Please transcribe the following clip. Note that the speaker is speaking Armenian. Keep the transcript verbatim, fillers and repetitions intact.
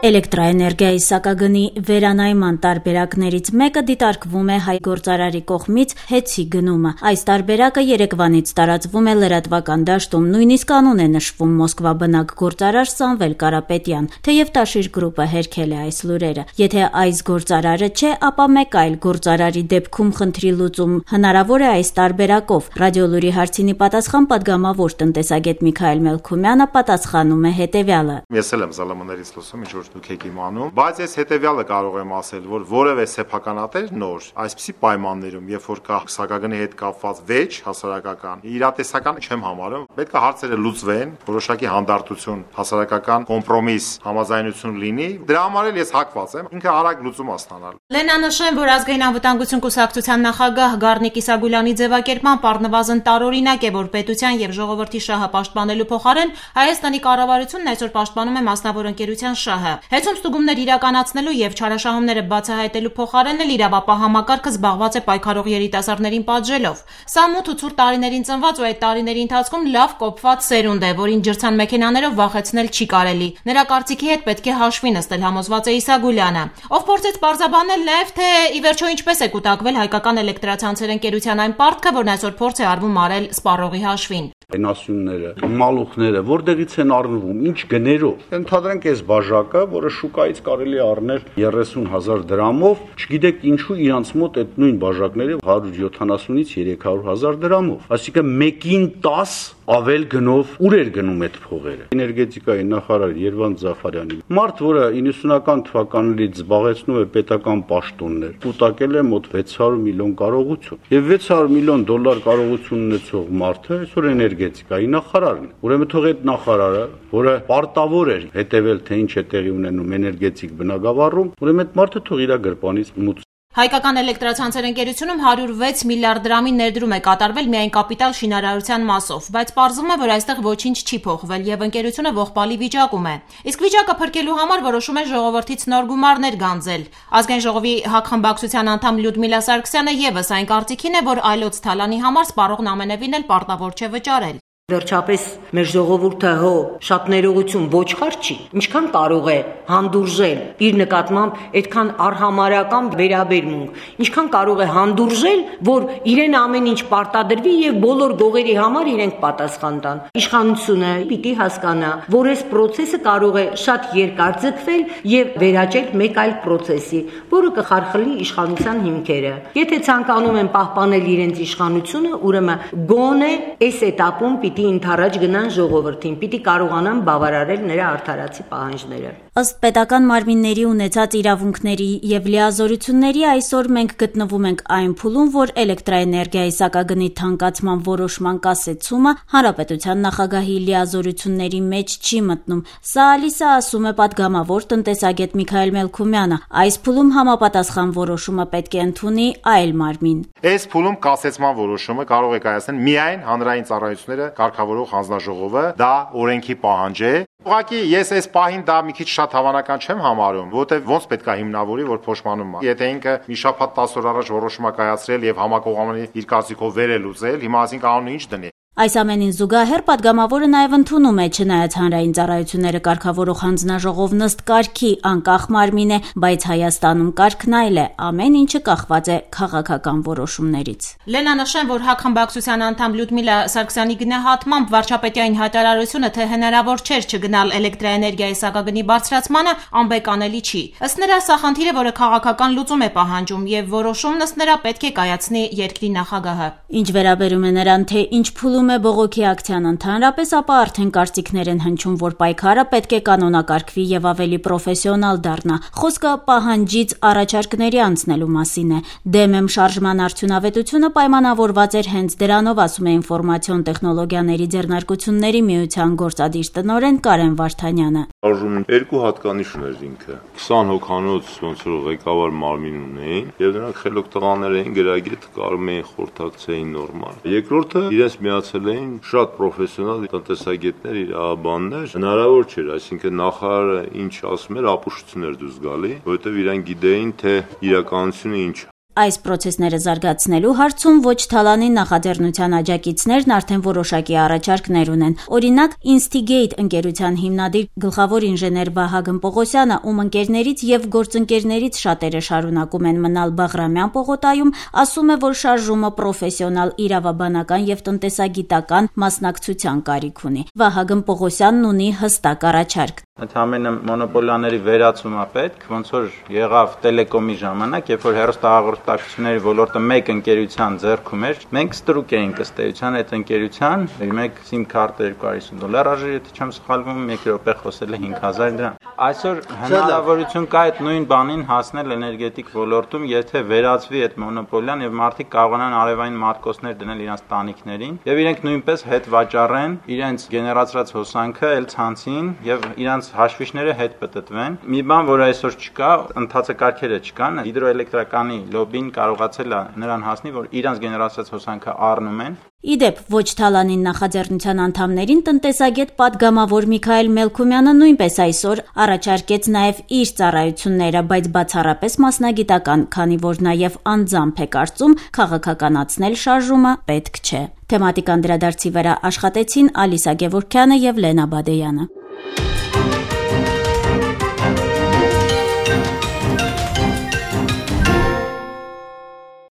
Էլեկտրաէներգիայի սակագնի վերանայման տարբերակներից մեկը դիտարկվում է հայ գործարարի կողմից հեծի գնումը։ Այս տարբերակը երեկվանից տարածվում է լրատվական դաշտում, նույնիսկ անուն է նշվում Մոսկվա բնակ գործարար Սամվել Կարապետյան, թեև Տաշիր գրուպը հերքել է այս լուրերը։ Եթե այս գործարարը չէ, ապա մեկ այլ գործարարի դեպքում խնդրի լուծում հնարավոր է այս տարբերակով։ Ռադիոլուրի հարցինի պատասխան պատգամավոր տնտեսագետ Միքայել Մելքումյանը պատասխանում է հետևյալը. Ես էլ եմ զալամներից լսում, ինչ որ դուք եք իմանում, բայց ես հետևյալը կարող եմ ասել, որ որևէ սեփականատեր նոր այսպիսի պայմաններում, երբ որ կա սակագնի հետ կապված վեճ հասարակական, իրատեսական չեմ համարում, պետք է հարցերը լուծվեն, որոշակի հանդարտություն, հասարակական կոմպրոմիս, համաձայնություն լինի, դրա համար էլ ես հակված եմ, ինքը արագ լուծում ստանալ։ Լենանշեն, որ ազգային անվտանգություն կուսակցության նախագահ Գառնիկ Իսագուլյանի ձևակերպմամբ առնվազն տարօրինակ է, որ պետության եւ ժողովրդի շահը պաշտպանելու փոխարեն Հայաստանի կառավարությունն այսօր պաշտպանում է մասնավոր ընկերության շահը։ Հեծում ստուգումներ իրականացնելու եւ չարաշահումները բացահայտելու փոխարեն էլ իրավապահ համակարգը զբաղված է պայքարող երիտասարդներին պատժելով։ Սա մութ ու ցուրտ տարիներին ծնված ու այդ տարիների ընթացքում լավ կոփված սերունդ է, որին ջրցան մեքենաներով վախեցնել չի կարելի։ Նրա կարծիքի հետ պետք է հաշվի նստել, համոզված է Իսագուլյանը, ով փորձեց պարզաբանել նաեւ, թե ի վերջո ինչպես է կուտակվել հայկական էլեկտրացանցեր ընկերության այն պարտքը, որն այսօր փորձ է արվում արել սպառողի հաշվին։ Այնասյունները, մալուխները, որտեղից են առնվում, ինչ գներով։ Ընդհանրենք այս բաժակը, որը շուկայից կարելի է առնել երեսուն հազար դրամով, չգիտեք ինչու իրանց մոտ այդ նույն բաժակները հարյուր յոթանասունից երեք հարյուր հազար դրամով։ Այսինքն մեկին տաս ավել գնով ուր էր գնում այդ փողերը։ Էներգետիկայի նախարար Երվանդ Զաֆարյանի մարդ, որը իննսունական թվականներից զբաղեցնում է պետական պաշտոններ, կուտակել է մոտ վեց հարյուր միլիոն կարողություն։ Եվ վեց հարյուր միլիոն դոլար կարողություն ունեցող մարդը այսօր էներգետիկայի նախարարն է։ Ուրեմն թող այդ նախարարը, որը պարտավոր էր հետևել, թե ինչ է տեղի ունենում էներգետիկ բնագավառում, ուրեմն այդ մարդը թող իր գրպանից մուծի։ Հայկական էլեկտրացանցեր ընկերությունում հարյուր վեց միլիարդ դրամի ներդրում է կատարվել միայն կապիտալ շինարարության մասով, բայց պարզվում է, որ այստեղ ոչինչ չի փոխվել եւ ընկերությունը ողբալի վիճակում է։ Իսկ վիճակը փրկելու համար որոշում է ժողովրդից նոր գումարներ գանձել։ Ազգային ժողովի հակխմբակցության անդամ Լյուդմիլա Սարգսյանը եւս այն կարծիքին է, որ այլոց թալանի համար սպառողն ամենևին էլ պարտավոր չէ վճարել։ Վերջապես մեր ժողովուրդը հո շատ ներողություն ոչխար չի, ինչքան կարող է հանդուրժել իր նկատմամբ այդքան արհամարական վերաբերմունք, ինչքան կարող է հանդուրժել, որ իրեն ամեն ինչ պարտադրվի եւ բոլոր գողերի համար իրենք պատասխան տան։ Իշխանությունը պիտի հասկանա, որ այս process-ը կարող է շատ երկար ձգվել եւ վերաճել մեկ այլ process-ի, որը կխարխլի իշխանության հիմքերը։ Եթե ցանկանում են պահպանել իրենց իշխանությունը, ուրեմն գոնե այս этаպում պիտի ընդառաջ գնան ժողովրդին, պիտի կարողանան բավարարել նրա արդարացի պահանջները։ Ըստ պետական մարմինների ունեցած իրավունքների եւ լիազորությունների այսօր մենք գտնվում ենք այն փուլում, որ էլեկտրաէներգիայի սակագնի թանկացման որոշման կասեցումը հանրապետության նախագահի լիազորությունների մեջ չի մտնում։ Սա ալիսը ասում է պատգամավոր տնտեսագետ Միքայել Մելքումյանը։ Այս փուլում համապատասխան որոշումը պետք է ընդունի այլ մարմին։ Այս փուլում կասեցման որոշումը կարող է կայացնել միայն հանրային ծառայությունները կարգավորող հանձնաժողովը, դա օրենքի պահանջ է։ Ուղղակի ես այս պահին դա մի քիչ շատ հավանական չեմ համարում, որովհետև ոնց պետք է հիմնավորի, որ փոշմանում է։ Եթե ինքը մի շաբաթ տասը օր առաջ որոշում է կայացրել եւ համակողմանի իր կարծիքով վեր է լուծել, հիմա ասին կանոնը ինչ դնի։ Այս ամենին զուգահեռ պատգամավորը նաև ընդունում է, չնայած հանրային ծառայությունները կարգավորող հանձնաժողովն ըստ կարգի անկախ մարմին է, բայց Հայաստանում կարգն այլ է, ամեն ինչը կախված է քաղաքական որոշումներից։ Լենանշեն, որ հակխմբակցության անդամ Լյուդմիլա Սարգսյանի գնահատմամբ վարչապետային հայտարարությունը, թե հնարավոր չէր չգնալ էլեկտրաէներգիայի սակագնի բարձրացմանը, անբեկանելի չի։ Ըստ նրա, սա խնդիր է, որը քաղաքական լուծում է պահանջում եւ որոշումն ըստ նրա պետք է կայացնի երկրի նախագահը։ Ինչ վերաբերում է նրան, թե ինչ փուլում է բողոքի ակցիան ընդհանրապես, ապա արդեն կարծիքներ են հնչում, որ պայքարը պետք է կանոնակարգվի եւ ավելի պրոֆեսիոնալ դառնա։ Խոսքը պահանջից առաջարկների անցնելու մասին է։ Դեմ եմ շարժման արդյունավետությունը պայմանավորված էր հենց դրանով, ասում է ինֆորմացիոն տեխնոլոգիաների ձեռնարկությունների միության գործադիր տնօրեն Կարեն Վարդանյանը։ Շարժումն երկու հատկանիշ ուներ ինքը։ քսան հոգանոց ոնց որ ղեկավար մարմին ունեին եւ նրանք խելոք տղաներ էին, գրագետ կարում էին խորհրդակցեին նորմալ։ Երկրորդը իրենց միացել էին շատ պրոֆեսիոնալ տնտեսագետներ, իրավաբաններ։ Հնարավոր չէր, այսինքն նախարարը ինչ ասում էր, ապուշություն էր դուրս գալի, որովհետեւ իրենք գիտեին, թե իրականությունը ինչ է։ Այս պրոցեսները զարգացնելու հարցում ոչ Թալանին նախաձեռնության աջակիցներն արդեն որոշակի առաջարկներ ունեն։ Օրինակ, Instigate ընկերության հիմնադիր գլխավոր ինժեներ Վահագն Պողոսյանը, ում ընկերներից եւ գործընկերներից շատերը շարունակում են մնալ Բաղրամյան պողոտայում, ասում է, որ շարժումը պրոֆեսիոնալ իրավաբանական եւ տնտեսագիտական մասնակցության կարիք ունի։ Վահագն Պողոսյանն ունի հստակ առաջարկ։ Ընդհանրապես մոնոպոլիաների վերացում է պետք, ոնց որ եղավ տելեկոմի ժամանակ, երբ որ հեռուստահաղորդակցությունների ոլորտը մեկ ընկերության ձեռքում էր, մենք ստրուկ էինք ըստ էության այդ ընկերության, մեկ SIM քարտը երկու հարյուր հիսուն դոլար արժեր, եթե չեմ սխալվում, մեկ րոպե խոսել է հինգ հազար դրամ։ Այսօր հնարավորություն կա այդ նույն բանին հասնել էներգետիկ ոլորտում, եթե վերացվի այդ մոնոպոլիան եւ մարդիկ կարողանան արևային մարտկոցներ դնել իրենց տանիքներին եւ իրենք նույնպես հետ վաճառեն իրենց գեներացրած հոսանքը էլ ցանցին եւ իրենց հաշվիչները հետ պտտվեն։ Մի բան, որ այսօր չկա, ընթացակարգերը չկան, հիդրոէլեկտրականի լոբին կարողացել է նրան հասնի, որ իրենց գեներացրած հոսանքը առնում են։ Իդեպ, ոչ Թալանին նախաձեռնության անդամներին տնտեսագետ պատգամավոր Միքայել Մելքումյանը նույնպես այսօր առաջարկեց նաև իր ծառայությունները, բայց բացառապես մասնագիտական, քանի որ նաև անձամբ է կարծում, քաղաքականացնել շարժումը պետք չէ։ Թեմատիկ անդրադարձի վրա աշխատեցին Ալիսա Գևորգյանը եւ Լենա Բադեյանը։